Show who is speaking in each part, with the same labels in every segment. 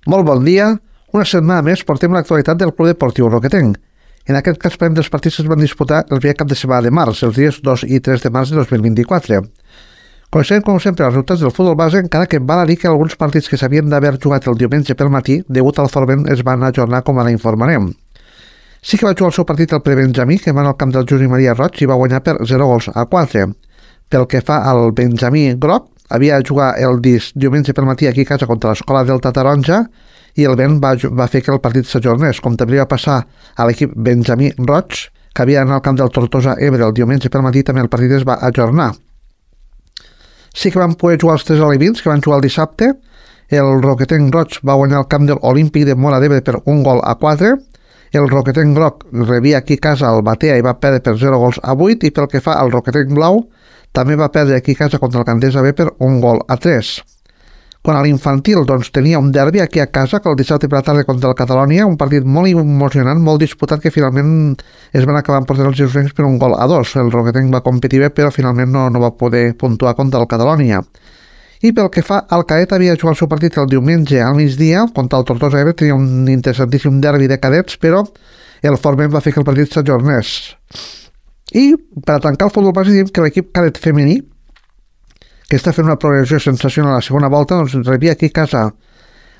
Speaker 1: Molt bon dia. Una setmana més portem l'actualitat del Club Deportiu Roquetenc. En aquest cas parlem dels partits que es van disputar el primer cap de setmana de març, els dies 2 i 3 de març de 2024. Coneixem, com sempre, els resultats del futbol base, encara que val a dir que alguns partits que s'havien d'haver jugat el diumenge pel matí, degut al forment, es van ajornar, com ara informarem. Sí que va jugar el seu partit el prebenjamí, que va al camp del Josep Maria Roig i va guanyar per 0-4. Pel que fa al Benjamí Groc, havia de jugar el diumenge pel matí aquí a casa contra l'Escola Delta Taronja i el vent va fer que el partit s'ajornés, com també va passar a l'equip Benjamí Roig, que havia d'anar al camp del Tortosa Ebre el diumenge pel matí, també el partit es va ajornar. Sí que van poder jugar els tres alevins, que van jugar el dissabte. El Roquetenc Roig va guanyar el camp de l'Olímpic de Móra d'Ebre per 1-4. El Roquetenc Groc rebia aquí a casa el Batea i va perdre per 0-8, i pel que fa al Roquetenc Blau, també va perdre aquí a casa contra el Candesa B per 1-3. Quan a l'infantil tenia un derbi aquí a casa, que el dissabte per la tarda contra el Catalònia, un partit molt emocionant, molt disputat, que finalment es van acabar portant els gironins per 1-2. El Roquetenc va competir bé, però finalment no va poder puntuar contra el Catalònia. I pel que fa al Cadet, havia de jugar el seu partit el diumenge al migdia contra el Tortosa Ebre, tenia un interessantíssim derbi de cadets, però el forment va fer que el partit s'ajornés. I per a tancar el futbol base diem que l'equip cadet femení, que està fent una progressió sensacional a la segona volta, rebia aquí a casa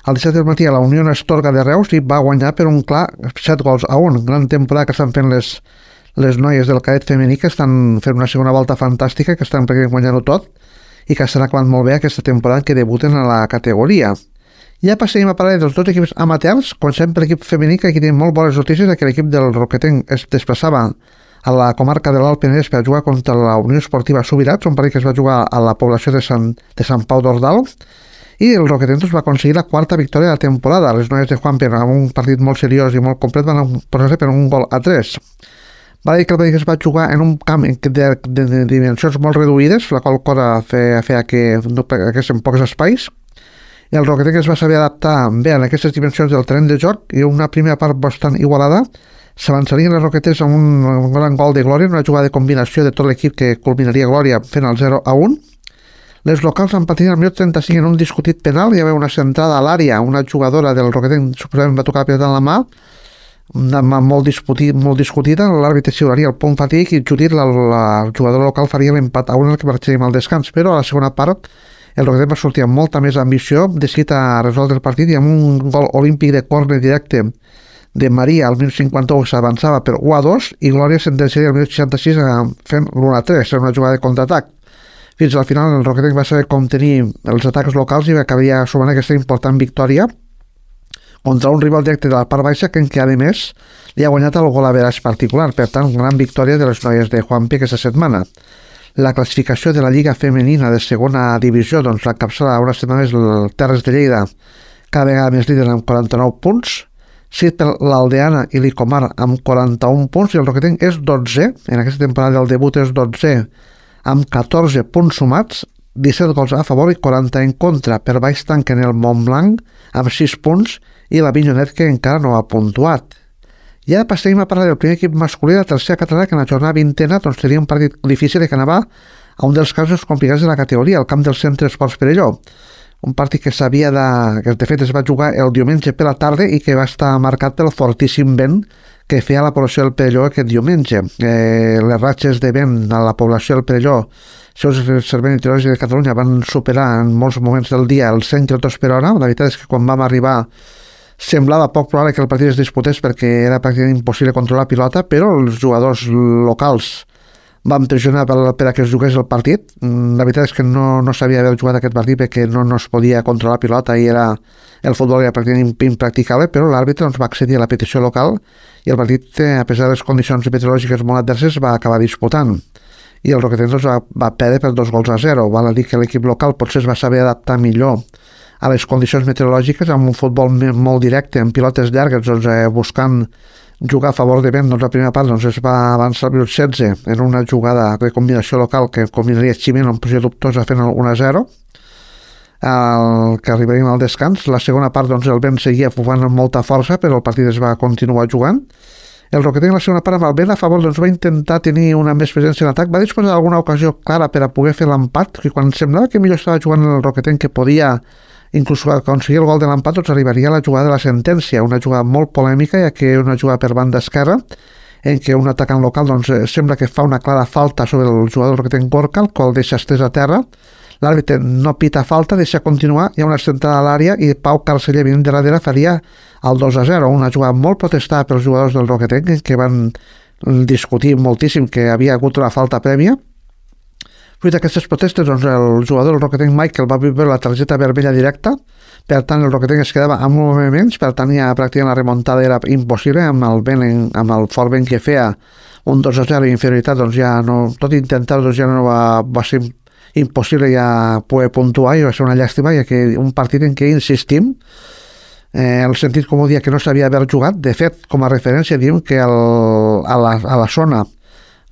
Speaker 1: al 17 del matí a la Unió Astorga de Reus i va guanyar per un clar 7-1. Gran temporada que estan fent les noies del cadet femení, que estan fent una segona volta fantàstica, que estan guanyant-ho tot i que estan acabant molt bé aquesta temporada que debuten a la categoria. Ja passem a parlar dels dos equips amateurs. Comencem per l'equip femení, que aquí tenim molt bones notícies, que l'equip del Roquetenc es desplaçava a la comarca de l'Alt Penedès per jugar contra la Unió Esportiva Subirats, un partit que es va jugar a la població de Sant Pau d'Ordal, i el Roquetenc va aconseguir la quarta victòria de la temporada. Les noies de Juanpe, amb un partit molt seriós i molt complet, van posar-se per 1-3. Va dir que el partit es va jugar en un camp de dimensions molt reduïdes, la qual cosa feia que no haguessin pocs espais. El Roquetenc es va saber adaptar bé en aquestes dimensions del terreny de joc, i una primera part bastant igualada. S'avançarien les Roquetes amb un gran gol de Glòria, una jugada de combinació de tot l'equip que culminaria Glòria fent el 0-1. Les locals han patit al minut 35 en un discutit penal. Hi havia una centrada a l'àrea, una jugadora del Roquetenc suposament va tocar la pilota en la mà, una mà molt discutida. L'àrbitre xiularia el punt fatídic i Judit, la jugadora local, faria l'empat a 1 en el que marxaríem al descans, però a la segona part el Roquetenc va sortir amb molta més ambició, decidit a resoldre el partit, i amb un gol olímpic de córner directe de Maria al 1051 s'avançava per 1-2 i Glòria sentenciaria al 1066 fent l'1-3, era una jugada de contraatac. Fins al final el Roquetenc va saber com tenir els atacs locals i acabaria sumant aquesta important victòria contra un rival directe de la part baixa que a més li ha guanyat el gol a veraç particular. Per tant, gran victòria de les noies de Juanpi aquesta setmana. La classificació de la Lliga Femenina de segona divisió l'encapçala una setmana més el Terres de Lleida, cada vegada més líder amb 49 punts, seguit per l'Aldeana i l'Icomar amb 41 punts, i el Roquetenc és 12, en aquesta temporada del debut és 12, amb 14 punts sumats, 17 gols a favor i 40 en contra. Per baix tanquen el Montblanc amb 6 punts i la Vinyonet, que encara no ha puntuat. I ara passem a parlar del primer equip masculí de la tercera catalana, que en la jornada 20a tenia un partit difícil i que anava a un dels casos complicats de la categoria, el camp del Centre Esports Perelló. Un partit que de fet es va jugar el diumenge per la tarda i que va estar marcat pel fortíssim vent que feia la població del Perelló aquest diumenge. Les ratxes de vent a la població del Perelló, els serveis meteorològics de Catalunya, van superar en molts moments del dia els 100 km per hora. La veritat és que quan vam arribar semblava poc probable que el partit es disputés perquè era pràcticament impossible controlar la pilota, però els jugadors locals van pressionar per a que es jugués el partit. La veritat és que no s'havia d'haver jugat aquest partit perquè no es podia controlar la pilota i el futbol era pràcticament impracticable, però l'àrbitre va accedir a la petició local i el partit, a pesar de les condicions meteorològiques molt adverses, va acabar disputant. I el Roquetenc va perdre per 2-0. Val a dir que l'equip local potser es va saber adaptar millor a les condicions meteorològiques, amb un futbol molt directe, amb pilotes llargues, buscant jugar a favor de vent. La primera part es va avançar al minut 16 en una jugada de combinació local que combinaria Ximeno en posició dubtosa fent el 1-0, que arribaríem al descans. La segona part el vent seguia bufant amb molta força, però el partit es va continuar jugant. El Roquetenc, la segona part, amb el vent a favor, va intentar tenir una més presència en atac. Va disposar d'alguna ocasió clara per a poder fer l'empat, que quan semblava que millor estava jugant el Roquetenc, que podia inclús aconseguir el gol de l'empat, doncs arribaria a la jugada de la sentència, una jugada molt polèmica, ja que una jugada per banda esquerra, en què un atacant local doncs, sembla que fa una clara falta sobre el jugador que té en Gorka, el qual deixa estès a terra. L'àrbitre no pita falta, deixa continuar, hi ha una centrada a l'àrea i Pau Carceller venint de darrere faria el 2-0, una jugada molt protestada pels jugadors del Roquetenc, que van discutir moltíssim que havia hagut una falta prèvia. Fruit d'aquestes protestes, doncs, el jugador del Roquetenc Michael va viure la targeta vermella directa, per tant el Roquetenc es quedava amb moviments, per tant ja pràcticament la remuntada era impossible, amb el fort vent que feia un 2-0 inferioritat, doncs ja no, tot intentar doncs ja no va ser impossible ja poder puntuar i va ser una llàstima, ja que un partit en què insistim, el sentit comú dia que no s'havia d'haver jugat. De fet, com a referència diem que a la zona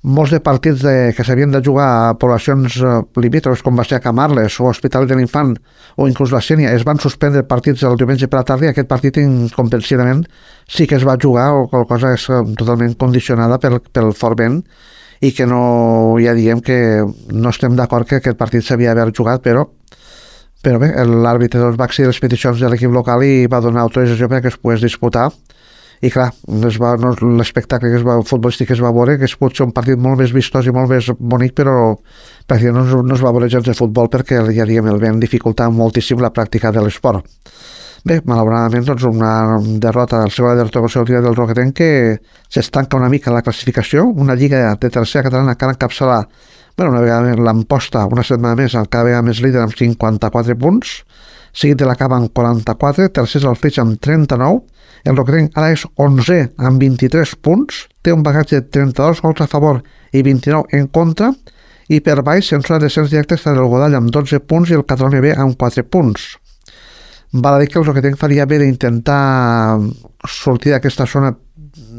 Speaker 1: molts de partits que s'havien de jugar a poblacions limítrofes com va ser a Camarles o Hospital de l'Infant o inclús la Sénia es van suspendre partits el diumenge per la tarda i aquest partit incomprensiblement sí que es va jugar, o cosa és totalment condicionada pel fort vent i que no, ja diguem que no estem d'acord que aquest partit s'havia d'haver jugat, però bé, l'àrbitre doncs, va accedir les peticions de l'equip local i va donar autorització perquè es pogués disputar. I clar, l'espectacle futbolístic que es va veure, que es pot ser un partit molt més vistós i molt més bonic, però pràcticament no es va veure gens de futbol perquè ja diguem, el vent dificultava moltíssim la pràctica de l'esport. Bé, malauradament, doncs una derrota, la segona derrota consecutiva del Roquetenc que s'estanca una mica la classificació, una lliga de tercera catalana que ara encapçala, una vegada més l'emposta, una setmana més, cada vegada més líder amb 54 punts, seguit de la Cava amb 44, tercers el Flix amb 39, el Roquetenc ara és 11 amb 23 punts, té un bagatge de 32 gols a favor i 29 en contra, i per baix, en zona de descens directe, està el Godall amb 12 punts i el Catalunya B amb 4 punts. Val a dir que el Roquetenc faria bé d'intentar sortir d'aquesta zona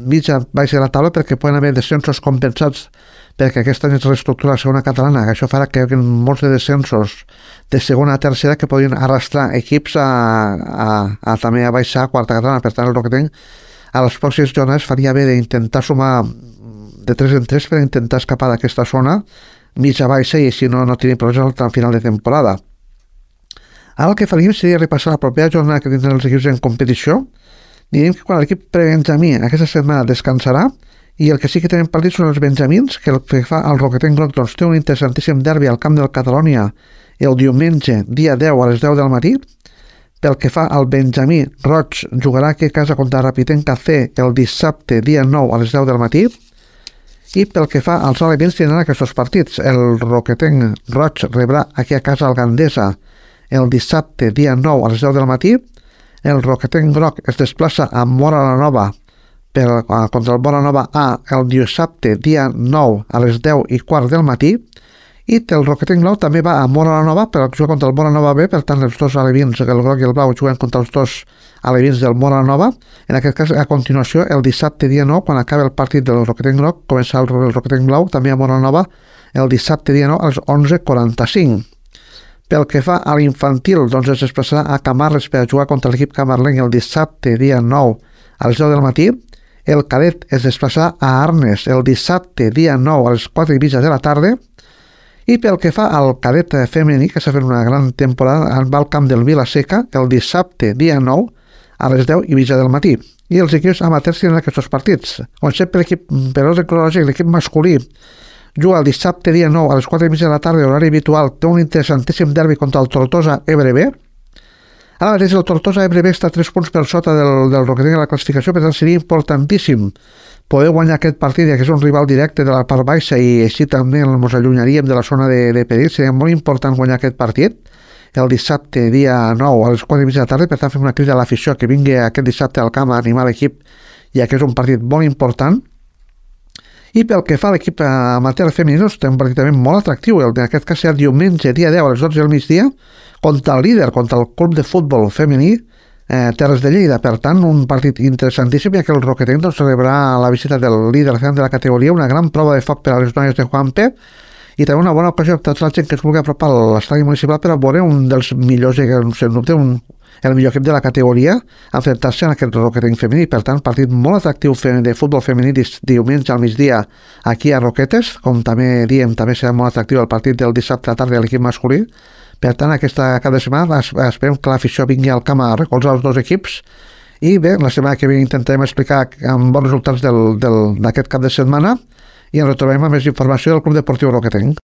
Speaker 1: mitja baixa de la taula perquè poden haver descensos compensats perquè aquest any es reestructura la segona catalana, que això farà que hi hagi molts de descensos de segona a tercera que podrien arrastrar equips a també a baixar a quarta catalana. Per tant, el Roquetenc a les pròximes jornades faria bé d'intentar sumar de 3 en 3 per intentar escapar d'aquesta zona mitja baixa i així no tenir problemes al final de temporada. Ara el que faríem seria repassar la propera jornada que tindran els equips en competició. Direm que quan l'equip prebenjamí aquesta setmana descansarà i el que sí que tenen partits són els benjamins, que el que fa el Roquetenc Groc doncs, té un interessantíssim derbi al camp del Catalunya el diumenge, dia 10 a les 10 del matí. Pel que fa al benjamí, Roig jugarà aquí a casa contra Rapitenca C el dissabte, dia 9 a les 10 del matí. I pel que fa als alevins tindran aquests partits. El Roquetenc Roig rebrà aquí a casa al Gandesa el dissabte, dia 9 a les 10 del matí. El Roquetenc Groc es desplaça a Móra la Nova contra el Móra Nova A el dissabte, dia 9 a les 10 i quart del matí. I el Roquetenc Blau també va a Móra la Nova per jugar contra el Móra Nova B, per tant els dos alevins, el Groc i el Blau, juguen contra els dos alevins del Móra la Nova. En aquest cas, a continuació, el dissabte, dia 9, quan acaba el partit del Roquetenc Groc, comença el Roquetenc Blau, també a Móra la Nova, el dissabte, dia 9, a les 11:45. Pel que fa a l'infantil, doncs es desplaçarà a Camarles per jugar contra l'equip camarlenc el dissabte, dia 9, a les 10 del matí. El cadet es desplaçarà a Arnes el dissabte, dia 9, a les 4:30 de la tarda. I pel que fa al cadet femení, que s'ha fet una gran temporada, va al camp del Vila-seca el dissabte, dia 9, a les 10:30 del matí. I els equips amateurs tenen aquests partits. Com sempre, per ordre cronològic, l'equip masculí juga el dissabte, dia 9, a les 4:30 de la tarda, horari habitual, té un interessantíssim derbi contra el Tortosa Ebre B. Ara mateix el Tortosa Ebre B està a 3 punts per sota del Roquetenc a la classificació, per tant seria importantíssim poder guanyar aquest partit, ja que és un rival directe de la part baixa i així també ens allunyaríem de la zona de perill. Seria molt important guanyar aquest partit el dissabte, dia 9, a les 4:30 de la tarda. Per tant, fem una crida a l'afició que vingui aquest dissabte al camp a animar l'equip, ja que és un partit molt important. I pel que fa a l'equip amateur femení, té un partit també molt atractiu. En aquest cas serà diumenge, dia 10, a les 12 del migdia, contra el líder, contra el club de futbol femení Terres de Lleida. Per tant, un partit interessantíssim, ja que el Roquetenc rebrà la visita del líder de la categoria, una gran prova de foc per a les noies de Juanpe i també una bona ocasió per a tota la gent que es vulgui apropar a l'estadi municipal per a veure un dels millors, el millor equip de la categoria, enfrontar-se en aquest Roquetenc femení. Per tant, partit molt atractiu de futbol femení diumenge al migdia aquí a Roquetes, com també diem, també serà molt atractiu el partit del dissabte a la tarda de l'equip masculí. Per tant, aquesta cap de setmana esperem que l'afició vingui al camp a recolzar els dos equips i bé, la setmana que ve intentarem explicar amb bons resultats d'aquest cap de setmana i ens retrobem amb més informació del Club Deportiu Roquetenc.